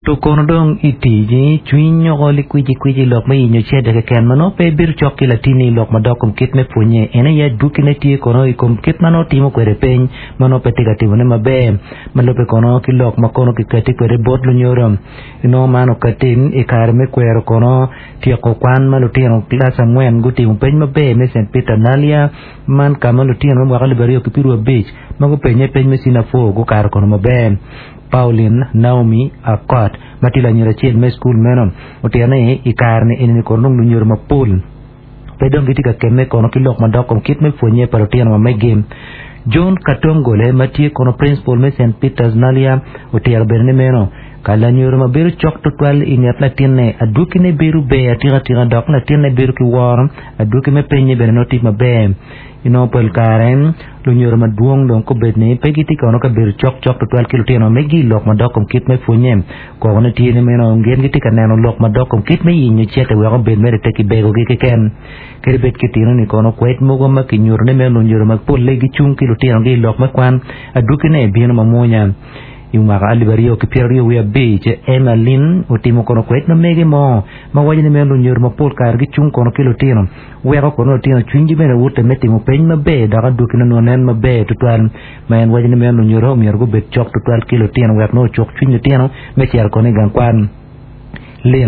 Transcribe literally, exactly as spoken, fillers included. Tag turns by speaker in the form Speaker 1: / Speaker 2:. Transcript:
Speaker 1: To kono dong i tic cwiny nyoko likwicikwici lok me yenyo cente keken ma nongo pe bedo cok ki latini i lok madok kom kit me pwonye en aye adwogine tye kono i kom kit ma nongo timo kwede piny ma nongo pe tye ka timone maber ma lubbe kono ki lok ma kono kikati kwede bot lunyodo inongo man okati i kare me kwero kono tyeko kwan ma lutino kilac angwen gutimo peny maber me St Peter Nalia man ka ma lutino me mwaka alip aryo ki pyeraryo abic ma gupenye peny me senior four gukato kono maber Pauline Naomi Akot ma tye lanyira acel me cukul meno otito ni i kare-ni eni kono dong lunyodo mapol pe dong gitye ka kemme kono ki lok madok kom kit me pwonye pa lutino ma megi John Katongole ma tye kono principal me St Peters Nalia otito bene ni meno ka lanyodo ma bedo cok tutwal i nget latinne adwogine bedo ber atika dok latinne bedo ki woro adwogi me penye bene nongo tye maber inongo pol kare lunyodo madwong dong kobed ni pe gitye kono ka bedo cok cok tutwal ki lutino megi lok madok kom kit me pwonye kokone tye ni meno gin gitye ka neno lok madok kom kit me yenyo cente wek obed mere te kibegogi keken kadi bed kitino ni kono kwed mogo ma kinyuto ni meno lunyodo ma polle gicung ki lutinogi i lok me kwan adwogine bino mamwonya i mwaka alip aryo ki pyeraryo wiye abic Emma Lynn otimo kono kwed ma mege mo ma waco ni meno lunyodo mapol kare gicung kono ki lutino weko kono lutino cwinygi bene wute me timo peny maber dok adwogine nongo nen maber tutwal ma en waco ni meno lunyodo myero gubed cok tutwal ki lutino wek nongo ocuk cwiny lutino me cito kono i gang kwan Lynn